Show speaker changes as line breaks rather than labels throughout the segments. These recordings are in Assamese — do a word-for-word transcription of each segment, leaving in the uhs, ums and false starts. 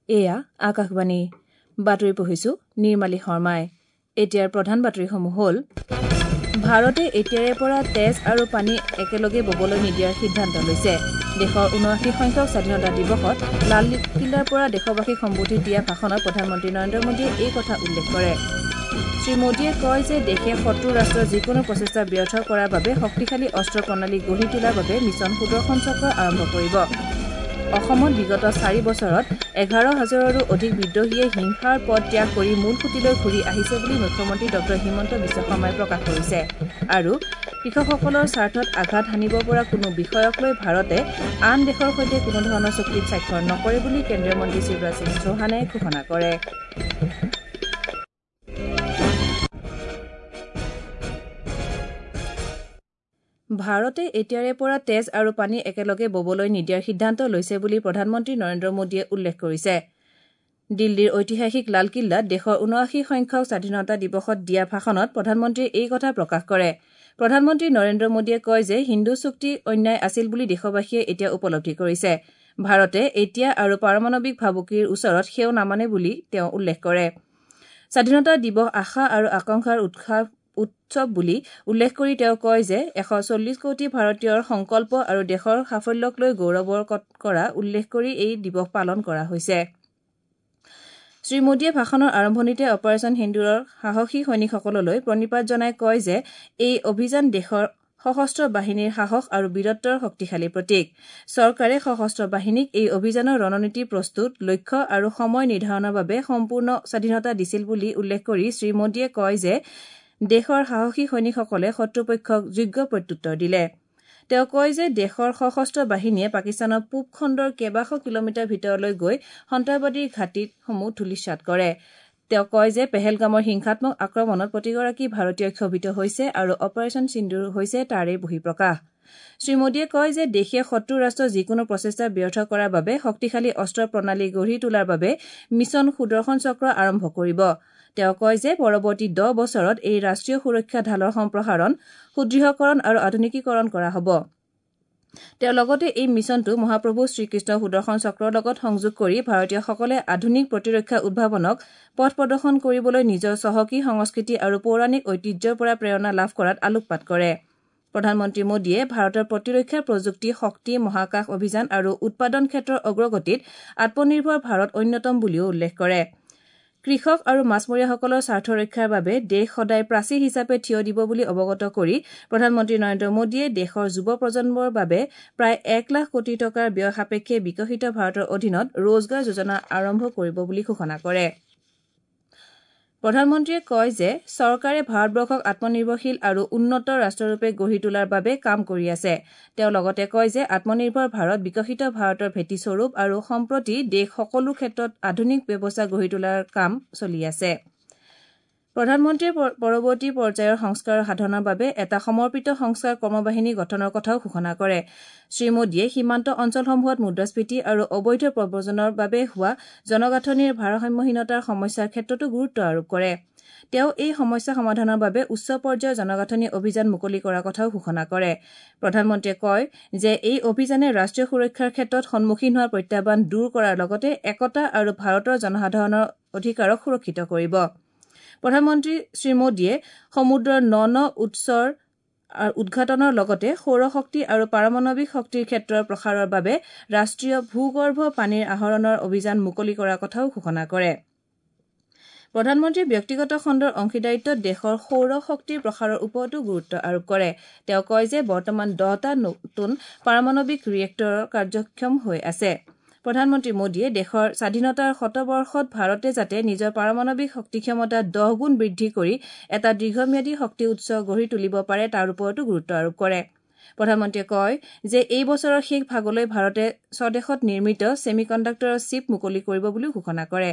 এয়া আকাশবাণী বাতৰি পঢ়িছো নিৰ্মালী শৰ্মাই। এতিয়াৰ প্ৰধান বাতৰিসমূহ হ'ল ভাৰতে এতিয়াৰে পৰা তেজ আৰু পানী একেলগে ববলৈ নিদিয়াৰ সিদ্ধান্ত লৈছে। দেশৰ ঊনআশী সংখ্যক স্বাধীনতা দিৱসত লালকিল্লাৰ পৰা দেশবাসীক সম্বোধি দিয়া ভাষণত প্ৰধানমন্ত্ৰী নৰেন্দ্ৰ মোদীয়ে এই কথা উল্লেখ কৰে। শ্ৰী মোদীয়ে কয় যে দেশে শত্ৰু ৰাষ্ট্ৰৰ যিকোনো প্ৰচেষ্টা ব্যৰ্থ কৰাৰ বাবে শক্তিশালী অস্ত্ৰ প্ৰণালী গঢ়ি তোলাৰ বাবে মিছন সুদৰ্শন চক্ৰ আৰম্ভ কৰিব। অসমত বিগত চাৰি বছৰত এঘাৰ হাজাৰৰো অধিক বিদ্ৰোহীয়ে হিংসাৰ পথ ত্যাগ কৰি মূল সুঁতিলৈ ঘূৰি আহিছে বুলি মুখ্যমন্ত্ৰী ডঃ হিমন্ত বিশ্ব শৰ্মাই প্ৰকাশ কৰিছে। আৰু কৃষকসকলৰ স্বাৰ্থত আঘাত হানিব পৰা কোনো বিষয়ক লৈ ভাৰতে আন দেশৰ সৈতে কোনো ধৰণৰ চুক্তিত স্বাক্ষৰ নকৰে বুলি কেন্দ্ৰীয় মন্ত্ৰী শিৱৰাজ সিং চৌহানে ঘোষণা কৰে। ভাৰতে এতিয়াৰে পৰা তেজ আৰু পানী একেলগে ববলৈ নিদিয়াৰ সিদ্ধান্ত লৈছে বুলি প্ৰধানমন্ত্ৰী নৰেন্দ্ৰ মোদীয়ে উল্লেখ কৰিছে। দিল্লীৰ ঐতিহাসিক লালকিল্লাত দেশৰ ঊনআশী সংখ্যক স্বাধীনতা দিৱসত দিয়া ভাষণত প্ৰধানমন্ত্ৰীয়ে এই কথা প্ৰকাশ কৰে। প্ৰধানমন্ত্ৰী নৰেন্দ্ৰ মোদীয়ে কয় যে হিন্দু চুক্তি অন্যায় আছিল বুলি দেশবাসীয়ে এতিয়া উপলব্ধি কৰিছে। ভাৰতে এতিয়া আৰু পাৰমাণৱিক ভাবুকিৰ ওচৰত সেও নামানে বুলি তেওঁ উল্লেখ কৰে। স্বাধীনতা দিৱস আশা আৰু আকাংক্ষাৰ উৎসাহ উৎসৱ বুলি উল্লেখ কৰি তেওঁ কয় যে এশ চল্লিছ কোটি ভাৰতীয়ৰ সংকল্প আৰু দেশৰ সাফল্যক লৈ গৌৰৱৰ কৰা উল্লেখ কৰি এই দিৱস পালন কৰা হৈছে। শ্ৰী মোদীয়ে ভাষণৰ আৰম্ভণিতে অপাৰেচন সিন্দুৰৰ সাহসী সৈনিকসকললৈ প্ৰণিপাত জনাই কয় যে এই অভিযান দেশৰ সশস্ত্ৰ বাহিনীৰ সাহস আৰু বীৰত্বৰ শক্তিশালী প্ৰতীক। চৰকাৰে সশস্ত্ৰ বাহিনীক এই অভিযানৰ ৰণনীতি প্ৰস্তুত, লক্ষ্য আৰু সময় নিৰ্ধাৰণৰ বাবে সম্পূৰ্ণ স্বাধীনতা দিছিল বুলি উল্লেখ কৰি শ্ৰী মোদীয়ে কয় যে দেশৰ সাহসী সৈনিকসকলে শত্ৰুপক্ষক যোগ্য প্ৰত্যুত্তৰ দিলে। তেওঁ কয় যে দেশৰ সশস্ত্ৰ বাহিনীয়ে পাকিস্তানৰ পূব খণ্ডৰ কেইবাশ কিলোমিটাৰ ভিতৰলৈ গৈ সন্ত্ৰাসবাদীৰ ঘাটিসমূহ ধূলিসাৎ কৰে। তেওঁ কয় যে পেহেলগামৰ হিংসাত্মক আক্ৰমণত প্ৰতিগৰাকী ভাৰতীয় ক্ষোভিত হৈছে আৰু অপাৰেচন সিন্দুৰ হৈছে তাৰেই বহিঃপ্ৰকাশ। শ্ৰী মোদীয়ে কয় যে দেশে শত্ৰু ৰাষ্ট্ৰৰ যিকোনো প্ৰচেষ্টা ব্যৰ্থ কৰাৰ বাবে শক্তিশালী অস্ত্ৰ প্ৰণালী গঢ়ি তোলাৰ বাবে মিছন সুদৰ্শন চক্ৰ আৰম্ভ কৰিব। তেওঁ কয় যে পৰৱৰ্তী দহ বছৰত এই ৰাষ্ট্ৰীয় সুৰক্ষা ঢালৰ সম্প্ৰসাৰণ, সুদৃঢ়কৰণ আৰু আধুনিকীকৰণ কৰা হ'ব। তেওঁ লগতে এই মিছনটো মহাপ্ৰভু শ্ৰীকৃষ্ণ সুদৰ্শন চক্ৰৰ লগত সংযোগ কৰি ভাৰতীয়সকলে আধুনিক প্ৰতিৰক্ষা উদ্ভাৱনক পথ প্ৰদৰ্শন কৰিবলৈ নিজৰ চহকী সংস্কৃতি আৰু পৌৰাণিক ঐতিহ্যৰ পৰা প্ৰেৰণা লাভ কৰাত আলোকপাত কৰে। প্ৰধানমন্ত্ৰী মোদীয়ে ভাৰতৰ প্ৰতিৰক্ষা প্ৰযুক্তি, শক্তি, মহাকাশ অভিযান আৰু উৎপাদন ক্ষেত্ৰৰ অগ্ৰগতিত আত্মনিৰ্ভৰ ভাৰত অন্যতম বুলিও উল্লেখ কৰে। কৃষক আৰু মাছমৰীয়াসকলৰ স্বাৰ্থ ৰক্ষাৰ বাবে দেশ সদায় প্ৰাচীৰ হিচাপে থিয় দিব বুলি অৱগত কৰি প্ৰধানমন্ত্ৰী নৰেন্দ্ৰ মোদীয়ে দেশৰ যুৱ প্ৰজন্মৰ বাবে প্ৰায় এক লাখ কোটি টকাৰ ব্যয় সাপেক্ষে বিকশিত ভাৰতৰ অধীনত ৰোজগাৰ যোজনা আৰম্ভ কৰিব বুলি ঘোষণা কৰে। প্ৰধানমন্ত্ৰীয়ে কয় যে চৰকাৰে ভাৰতবৰ্ষক আত্মনিৰ্ভৰশীল আৰু উন্নত ৰাষ্ট্ৰৰূপে গঢ়ি তোলাৰ বাবে কাম কৰি আছে। তেওঁ লগতে কয় যে আত্মনিৰ্ভৰ ভাৰত বিকশিত ভাৰতৰ ভেটিস্বৰূপ আৰু সম্প্ৰতি দেশ সকলো ক্ষেত্ৰত আধুনিক ব্যৱস্থা গঢ়ি তোলাৰ কাম চলি আছে। প্ৰধানমন্ত্ৰীয়ে পৰৱৰ্তী পৰ্যায়ৰ সংস্কাৰ সাধনৰ বাবে এটা সমৰ্পিত সংস্কাৰ কৰ্মবাহিনী গঠনৰ কথাও ঘোষণা কৰে। শ্ৰী মোদীয়ে সীমান্ত অঞ্চলসমূহত মুদ্ৰাস্ফীতি আৰু অবৈধ প্ৰব্ৰজনৰ বাবে হোৱা জনগাঁথনিৰ ভাৰসাম্যহীনতাৰ সমস্যাৰ ক্ষেত্ৰতো গুৰুত্ব আৰোপ কৰে। তেওঁ এই সমস্যা সমাধানৰ বাবে উচ্চ পৰ্যায়ৰ জনগাঁথনি অভিযান মুকলি কৰাৰ কথাও ঘোষণা কৰে। প্ৰধানমন্ত্ৰীয়ে কয় যে এই অভিযানে ৰাষ্ট্ৰীয় সুৰক্ষাৰ ক্ষেত্ৰত সন্মুখীন হোৱা প্ৰত্যাহ্বান দূৰ কৰাৰ লগতে একতা আৰু ভাৰতৰ জনসাধাৰণৰ অধিকাৰক সুৰক্ষিত কৰিব। প্ৰধানমন্ত্ৰী শ্ৰী মোদীয়ে সমুদ্ৰৰ ন ন উৎসৰ উদ্ঘাটনৰ লগতে সৌৰশক্তি আৰু পাৰমাণৱিক শক্তিৰ ক্ষেত্ৰৰ প্ৰসাৰৰ বাবে ৰাষ্ট্ৰীয় ভূগৰ্ভ পানীৰ আহৰণৰ অভিযান মুকলি কৰাৰ কথাও ঘোষণা কৰে। প্ৰধানমন্ত্ৰীয়ে ব্যক্তিগত খণ্ডৰ অংশীদাৰিত্বত দেশৰ সৌৰ শক্তিৰ প্ৰসাৰৰ ওপৰতো গুৰুত্ব আৰোপ কৰে। তেওঁ কয় যে বৰ্তমান দহটা নতুন পাৰমাণৱিক ৰিয়েক্টৰ কাৰ্যক্ষম হৈ আছে। প্ৰধানমন্ত্ৰী মোদীয়ে দেশৰ স্বাধীনতাৰ শতবৰ্ষত ভাৰতে যাতে নিজৰ পাৰমাণৱিক শক্তি ক্ষমতা দহ গুণ বৃদ্ধি কৰি এটা দীৰ্ঘম্যাদী শক্তি উৎস গঢ়ি তুলিব পাৰে তাৰ ওপৰতো গুৰুত্ব আৰোপ কৰে। প্ৰধানমন্ত্ৰীয়ে কয় যে এই বছৰৰ শেষ ভাগলৈ ভাৰতে স্বদেশত নিৰ্মিত ছেমিকণ্ডাক্টৰৰ চিপ মুকলি কৰিব বুলিও ঘোষণা কৰে।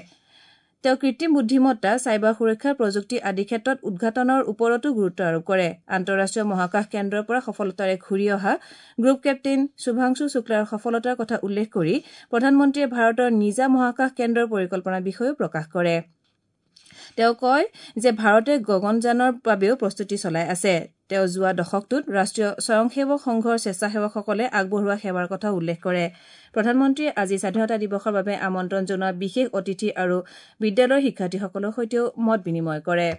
তেওঁ কৃত্ৰিম বুদ্ধিমত্তা, চাইবাৰ সুৰক্ষা, প্ৰযুক্তি আদি ক্ষেত্ৰত উদ্ঘাটনৰ ওপৰতো গুৰুত্ব আৰোপ কৰে। আন্তঃৰাষ্ট্ৰীয় মহাকাশ কেন্দ্ৰৰ পৰা সফলতাৰে ঘূৰি অহা গ্ৰুপ কেপ্টেইন শুভাংশু শুক্লাৰ সফলতাৰ কথা উল্লেখ কৰি প্ৰধানমন্ত্ৰীয়ে ভাৰতৰ নিজা মহাকাশ কেন্দ্ৰৰ পৰিকল্পনাৰ বিষয়েও প্ৰকাশ কৰে। তেওঁ কয় যে ভাৰতে গগনযানৰ বাবেও প্ৰস্তুতি চলাই আছে। তেওঁ যোৱা দশকটোত ৰাষ্ট্ৰীয় স্বয়ংসেৱক সংঘৰ স্বেচ্ছাসেৱকসকলে আগবঢ়োৱা সেৱাৰ কথাও উল্লেখ কৰে। প্ৰধানমন্ত্ৰীয়ে আজি স্বাধীনতা দিৱসৰ বাবে আমন্ত্ৰণ জনোৱা বিশেষ অতিথি আৰু বিদ্যালয়ৰ শিক্ষাৰ্থীসকলৰ সৈতেও মত বিনিময় কৰে।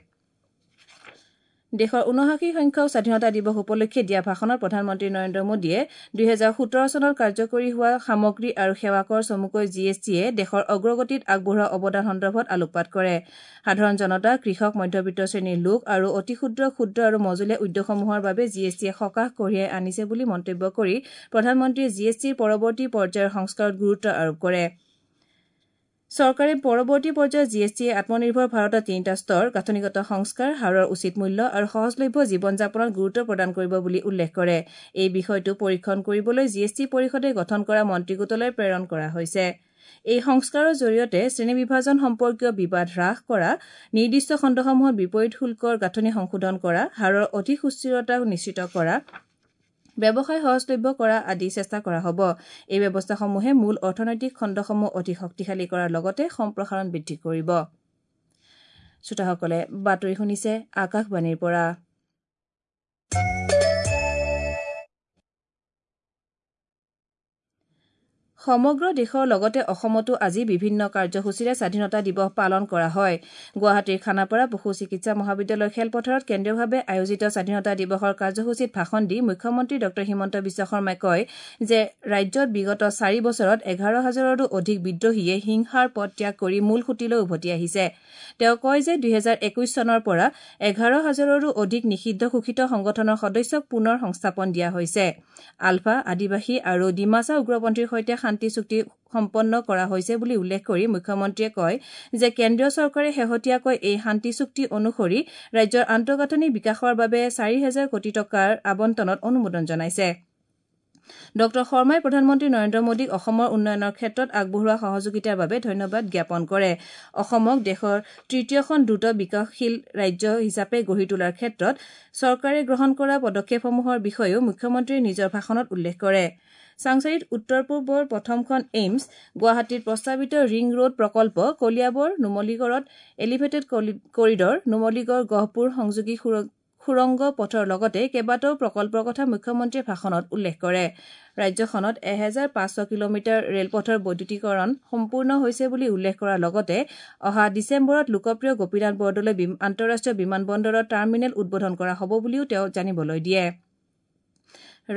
দেশৰ ঊনআশী সংখ্যক স্বাধীনতা দিৱস উপলক্ষে দিয়া ভাষণত প্ৰধানমন্ত্ৰী নৰেন্দ্ৰ মোদীয়ে দুহেজাৰ সোতৰ চনত কাৰ্যকৰী হোৱা সামগ্ৰী আৰু সেৱা কৰ চমুকৈ জি এছ টিয়ে দেশৰ অগ্ৰগতিত আগবঢ়োৱা অৱদান সন্দৰ্ভত আলোকপাত কৰে। সাধাৰণ জনতা, কৃষক, মধ্যবিত্ত শ্ৰেণীৰ লোক আৰু অতি ক্ষুদ্ৰ, ক্ষুদ্ৰ আৰু মজলীয়া উদ্যোগসমূহৰ বাবে জি এছ টিয়ে সকাহ কঢ়িয়াই আনিছে বুলি মন্তব্য কৰি প্ৰধানমন্ত্ৰীয়ে জি এছ টিৰ পৰৱৰ্তী পৰ্যায়ৰ সংস্কাৰত গুৰুত্ব আৰোপ কৰে। চৰকাৰে পৰৱৰ্তী পৰ্যায়ত জি এছ টিয়ে আত্মনিৰ্ভৰ ভাৰতৰ তিনিটা স্তৰ, গাঁথনিগত সংস্কাৰ, হাৰৰ উচিত মূল্য আৰু সহজলভ্য জীৱন যাপনত গুৰুত্ব প্ৰদান কৰিব বুলি উল্লেখ কৰে। এই বিষয়টো পৰীক্ষণ কৰিবলৈ জি এছ টি পৰিষদে গঠন কৰা মন্ত্ৰীগোটলৈ প্ৰেৰণ কৰা হৈছে। এই সংস্কাৰৰ জৰিয়তে শ্ৰেণী বিভাজন সম্পৰ্কীয় বিবাদ হ্ৰাস কৰা, নিৰ্দিষ্ট খণ্ডসমূহত বিপৰীত শুল্কৰ গাঁথনি সংশোধন কৰা, হাৰৰ অধিক সুস্থিৰতা নিশ্চিত কৰা, ব্যৱসায় সহজলভ্য কৰা আদি চেষ্টা কৰা হ'ব। এই ব্যৱস্থাসমূহে মূল অৰ্থনৈতিক খণ্ডসমূহ অধিক শক্তিশালী কৰাৰ লগতে সম্প্ৰসাৰণ বৃদ্ধি কৰিব। শ্ৰোতাসকলে বাতৰি শুনিছে আকাশবাণীৰ পৰা। সমগ্ৰ দেশৰ লগতে অসমতো আজি বিভিন্ন কাৰ্যসূচীৰে স্বাধীনতা দিৱস পালন কৰা হয়। গুৱাহাটীৰ খানাপাৰা পশু চিকিৎসা মহাবিদ্যালয়ৰ খেলপথাৰত কেন্দ্ৰীয়ভাৱে আয়োজিত স্বাধীনতা দিৱসৰ কাৰ্যসূচীত ভাষণ দি মুখ্যমন্ত্ৰী ডঃ হিমন্ত বিশ্ব শৰ্মাই কয় যে ৰাজ্যত বিগত চাৰি বছৰত এঘাৰ হাজাৰৰো অধিক বিদ্ৰোহীয়ে হিংসাৰ পথ ত্যাগ কৰি মূল সুঁতিলৈ উভতি আহিছে। তেওঁ কয় যে দুহেজাৰ একৈশ চনৰ পৰা এঘাৰ হাজাৰৰো অধিক নিষিদ্ধ ঘোষিত সংগঠনৰ সদস্যক পুনৰ সংস্থাপন দিয়া হৈছে। আলফা, আদিবাসী আৰু ডিমাছা উগ্ৰপন্থীৰ সৈতে শান্তি চুক্তি সম্পন্ন কৰা হৈছে বুলি উল্লেখ কৰি মুখ্যমন্ত্ৰীয়ে কয় যে কেন্দ্ৰীয় চৰকাৰে শেহতীয়াকৈ এই শান্তি চুক্তি অনুসৰি ৰাজ্যৰ আন্তঃগাঁথনি বিকাশৰ বাবে চাৰি হেজাৰ কোটি টকাৰ আবণ্টনত অনুমোদন জনাইছে। ডঃ শৰ্মাই প্ৰধানমন্ত্ৰী নৰেন্দ্ৰ মোদীক অসমৰ উন্নয়নৰ ক্ষেত্ৰত আগবঢ়োৱা সহযোগিতাৰ বাবে ধন্যবাদ জ্ঞাপন কৰে। অসমক দেশৰ তৃতীয়খন দ্ৰুত বিকাশশীল ৰাজ্য হিচাপে গঢ়ি তোলাৰ ক্ষেত্ৰত চৰকাৰে গ্ৰহণ কৰা পদক্ষেপসমূহৰ বিষয়েও মুখ্যমন্ত্ৰীয়ে নিজৰ ভাষণত উল্লেখ কৰে। চাংসাৰিত উত্তৰ পূবৰ প্ৰথমখন এইমছ, গুৱাহাটীত প্ৰস্তাৱিত ৰিং ৰোড প্ৰকল্প, কলিয়াবৰ নুমলীগড়ত এলিভেটেড কৰিডৰ, নুমলীগড় গহপুৰ সংযোগী সুৰংগ পথৰ লগতে কেইবাটাও প্ৰকল্পৰ কথা মুখ্যমন্ত্ৰীয়ে ভাষণত উল্লেখ কৰে। ৰাজ্যখনত এহেজাৰ পাঁচশ কিলোমিটাৰ ৰেলপথৰ বৈদ্যুতিকৰণ সম্পূৰ্ণ হৈছে বুলি উল্লেখ কৰাৰ লগতে অহা ডিচেম্বৰত লোকপ্ৰিয় গোপীনাথ বৰদলৈ আন্তঃৰাষ্ট্ৰীয় বিমানবন্দৰৰ টাৰ্মিনেল উদ্বোধন কৰা হ'ব বুলিও তেওঁ জানিবলৈ দিয়ে।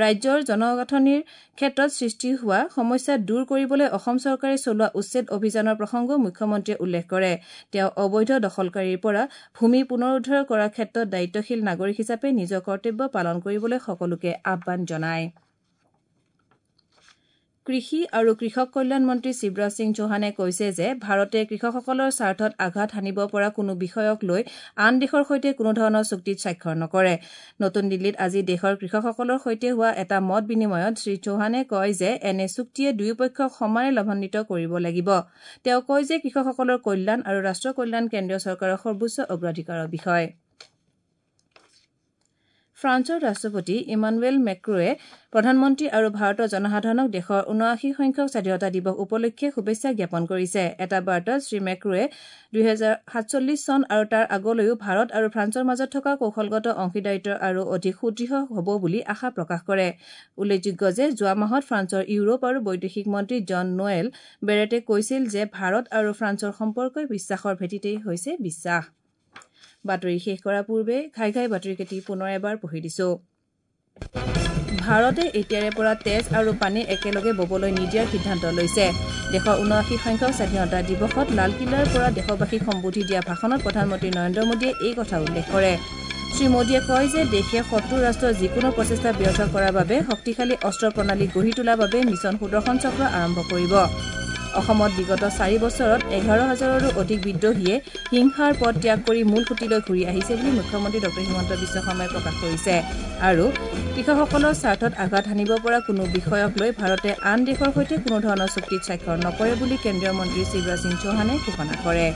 ৰাজ্যৰ জনগাঁথনিৰ ক্ষেত্ৰত সৃষ্টি হোৱা সমস্যা দূৰ কৰিবলৈ অসম চৰকাৰে চলোৱা উচ্ছেদ অভিযানৰ প্ৰসংগও মুখ্যমন্ত্ৰীয়ে উল্লেখ কৰে। তেওঁ অবৈধ দখলকাৰীৰ পৰা ভূমি পুনৰুদ্ধাৰ কৰাৰ ক্ষেত্ৰত দায়িত্বশীল নাগৰিক হিচাপে নিজৰ কৰ্তব্য পালন কৰিবলৈ সকলোকে আহ্বান জনায়। কৃষি আৰু কৃষক কল্যাণ মন্ত্ৰী শিৱৰাজ সিং চৌহানে কৈছে যে ভাৰতে কৃষকসকলৰ স্বাৰ্থত আঘাত হানিব পৰা কোনো বিষয়ক লৈ আন দেশৰ সৈতে কোনো ধৰণৰ চুক্তিত স্বাক্ষৰ নকৰে। নতুন দিল্লীত আজি দেশৰ কৃষকসকলৰ সৈতে হোৱা এটা মত বিনিময়ত শ্ৰী চৌহানে কয় যে এনে চুক্তিয়ে দুয়োপক্ষক সমানে লাভান্বিত কৰিব লাগিব। তেওঁ কয় যে কৃষকসকলৰ কল্যাণ আৰু ৰাষ্ট্ৰৰ কল্যাণ কেন্দ্ৰীয় চৰকাৰৰ সৰ্বোচ্চ অগ্ৰাধিকাৰৰ বিষয়। ফ্ৰান্সৰ ৰাষ্ট্ৰপতি ইমানুৱেল মেক্ৰোৱে প্ৰধানমন্ত্ৰী আৰু ভাৰতৰ জনসাধাৰণক দেশৰ ঊনআশী সংখ্যক স্বাধীনতা দিৱস উপলক্ষে শুভেচ্ছা জ্ঞাপন কৰিছে। এটা বাৰ্তাত শ্ৰী মেক্ৰোৱে দুহেজাৰ সাতচল্লিছ চন আৰু তাৰ আগলৈও ভাৰত আৰু ফ্ৰান্সৰ মাজত থকা কৌশলগত অংশীদাৰিত্ব আৰু অধিক সুদৃঢ় হ'ব বুলি আশা প্ৰকাশ কৰে। উল্লেখযোগ্য যে যোৱা মাহত ফ্ৰান্সৰ ইউৰোপ আৰু বৈদেশিক মন্ত্ৰী জন নোৱেল বেৰেটে কৈছিল যে ভাৰত আৰু ফ্ৰান্সৰ সম্পৰ্কই বিশ্বাসৰ ভেটিতেই হৈছে বিশ্বাস। বাতৰি শেষ কৰাৰ পূৰ্বে ঘাই ঘাই বাতৰিকেইটি পুনৰ এবাৰ পঢ়ি দিছো। ভাৰতে এতিয়াৰে পৰা তেজ আৰু পানী একেলগে ববলৈ নিদিয়াৰ সিদ্ধান্ত লৈছে। দেশৰ ঊনআশী সংখ্যক স্বাধীনতা দিৱসত লালকিল্লাৰ পৰা দেশবাসীক সম্বোধি দিয়া ভাষণত প্ৰধানমন্ত্ৰী নৰেন্দ্ৰ মোদীয়ে এই কথা উল্লেখ কৰে। শ্ৰী মোদীয়ে কয় যে দেশে শত্ৰু ৰাষ্ট্ৰৰ যিকোনো প্ৰচেষ্টা ব্যৰ্থ কৰাৰ বাবে শক্তিশালী অস্ত্ৰ প্ৰণালী গঢ়ি তোলাৰ বাবে মিছন সুদৰ্শন চক্ৰ আৰম্ভ কৰিব। অসমত বিগত চাৰি বছৰত এঘাৰ হাজাৰৰো অধিক বিদ্ৰোহীয়ে হিংসাৰ পথ ত্যাগ কৰি মূল সুঁতিলৈ ঘূৰি আহিছে বুলি মুখ্যমন্ত্ৰী ডঃ হিমন্ত বিশ্ব শৰ্মাই প্ৰকাশ কৰিছে। আৰু কৃষকসকলৰ স্বাৰ্থত আঘাত হানিব পৰা কোনো বিষয়ক লৈ ভাৰতে আন দেশৰ সৈতে কোনো ধৰণৰ চুক্তিত স্বাক্ষৰ নকৰে বুলি কেন্দ্ৰীয় মন্ত্ৰী শিৱৰাজ সিং চৌহানে ঘোষণা কৰে।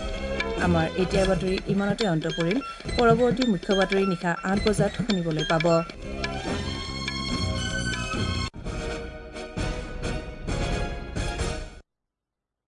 আমাৰ এতিয়াৰ বাতৰি ইমানতে অন্ত পৰিল। পৰৱৰ্তী মুখ্য বাতৰি নিশা আঠ বজাত শুনিবলৈ পাব।